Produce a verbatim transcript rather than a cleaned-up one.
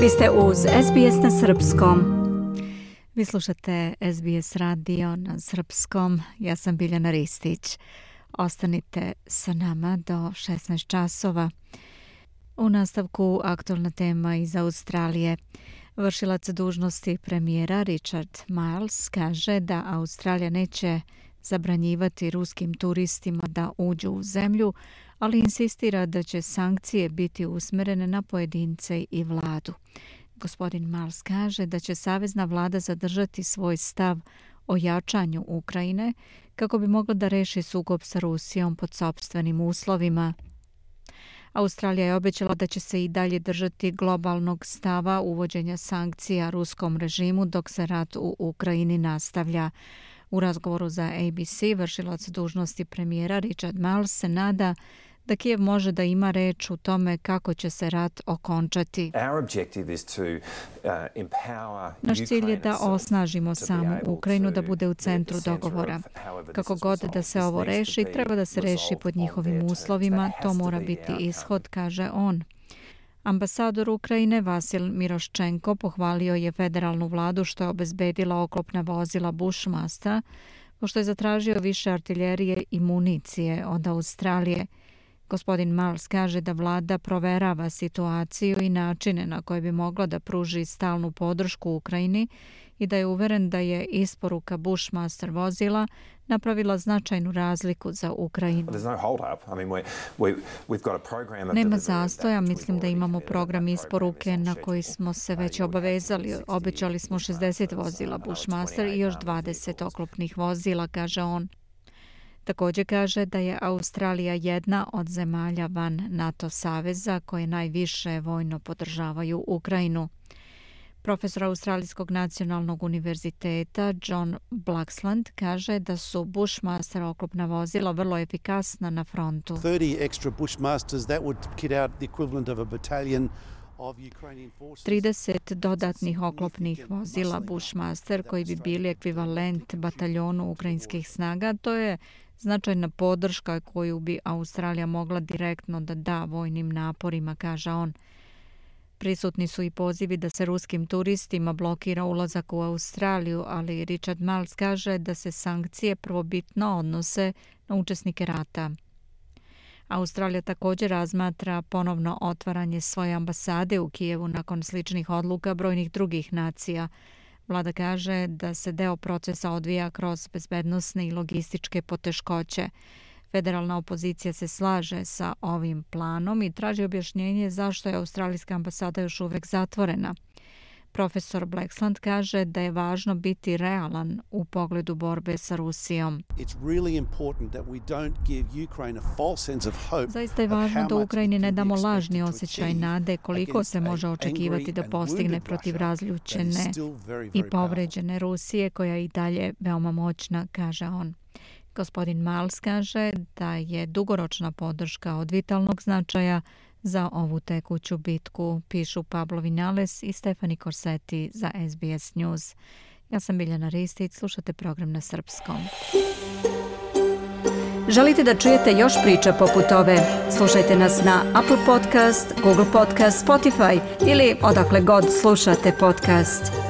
Vi ste uz S B S na srpskom. Vi slušate S B S radio na srpskom. Ja sam Biljana Ristić. Ostanite sa nama do šesnaest časova. U nastavku aktualna tema iz Australije. Vršilac dužnosti premijera Richard Marles kaže da Australija neće zabranjivati ruskim turistima da uđu u zemlju, ali insistira da će sankcije biti usmjerene na pojedince i vladu. Gospodin Marles kaže da će savezna vlada zadržati svoj stav o jačanju Ukrajine kako bi mogla da reši sukob sa Rusijom pod sopstvenim uslovima. Australija je obećala da će se i dalje držati globalnog stava uvođenja sankcija ruskom režimu dok se rat u Ukrajini nastavlja. U razgovoru za A B C vršilac dužnosti premijera Richard Marles se nada da Kijev može da ima reč u tome kako će se rat okončati. Naš cilj je da osnažimo samu Ukrajinu da bude u centru dogovora. Kako god da se ovo reši, treba da se reši pod njihovim uslovima, to mora biti ishod, kaže on. Ambasador Ukrajine Vasil Miroščenko pohvalio je federalnu vladu što je obezbedila oklopna vozila Bushmaster, pošto je zatražio više artiljerije i municije od Australije. Gospodin Marles kaže da vlada proverava situaciju i načine na koje bi mogla da pruži stalnu podršku Ukrajini i da je uveren da je isporuka Bushmaster vozila napravila značajnu razliku za Ukrajinu. Nema zastoja, mislim da imamo program isporuke na koji smo se već obavezali. Obećali smo šezdeset vozila Bushmaster i još dvadeset oklopnih vozila, kaže on. Također kaže da je Australija jedna od zemalja van NATO saveza koje najviše vojno podržavaju Ukrajinu. Profesor Australijskog nacionalnog univerziteta John Blaxland kaže da su Bushmaster oklopna vozila vrlo efikasna na frontu. thirty extra Bushmasters, that would kit out the equivalent of a battalion. trideset dodatnih oklopnih vozila Bushmaster koji bi bili ekvivalent bataljonu ukrajinskih snaga, to je značajna podrška koju bi Australija mogla direktno da da vojnim naporima, kaže on. Prisutni su i pozivi da se ruskim turistima blokira ulazak u Australiju, ali Richard Marles kaže da se sankcije prvobitno odnose na učesnike rata. Australija također razmatra ponovno otvaranje svoje ambasade u Kijevu nakon sličnih odluka brojnih drugih nacija. Vlada kaže da se deo procesa odvija kroz bezbednosne i logističke poteškoće. Federalna opozicija se slaže sa ovim planom i traži objašnjenje zašto je australijska ambasada još uvek zatvorena. Profesor Blaxland kaže da je važno biti realan u pogledu borbe sa Rusijom. Zaista je važno da Ukrajini ne damo lažni osjećaj nade koliko se može očekivati da postigne protiv razljučene i povređene Rusije koja je i dalje veoma moćna, kaže on. Gospodin Marles kaže da je dugoročna podrška od vitalnog značaja za ovu tekuću bitku, pišu Pablo Vinales i Stefani Korseti za S B S News. Ja sam Biljana Ristić, slušate program na srpskom. Želite da čujete još priča poput ove? Slušajte nas na Apple Podcast, Google Podcast, Spotify ili odakle god slušate podcast.